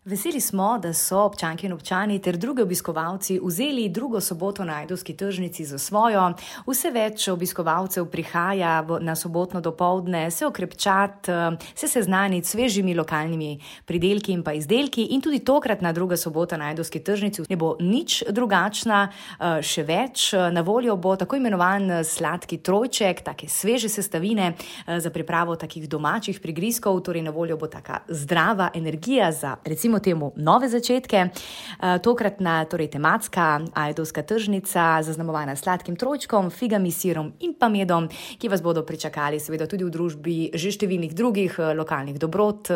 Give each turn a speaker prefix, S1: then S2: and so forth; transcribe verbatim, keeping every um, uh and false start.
S1: Veseli smo, da so občanke in občani ter drugi obiskovalci vzeli drugo soboto na Ajdovski tržnici za svojo. Vse več obiskovalcev prihaja na sobotno dopoldne se okrepčat, se seznaniti s svežimi lokalnimi pridelki in pa izdelki in tudi tokrat na druga sobota na Ajdovski tržnici ne bo nič drugačna, še več. Na voljo bo tako imenovan sladki trojček, take sveže sestavine za pripravo takih domačih prigrizkov, torej na voljo bo taka zdrava energija za recimo temu nove začetke. Tokratna, torej tematska Ajdovska tržnica, zaznamovana sladkim trojčkom, figami, sirom in pa medom, ki vas bodo pričakali seveda tudi v družbi že številnih drugih lokalnih dobrot,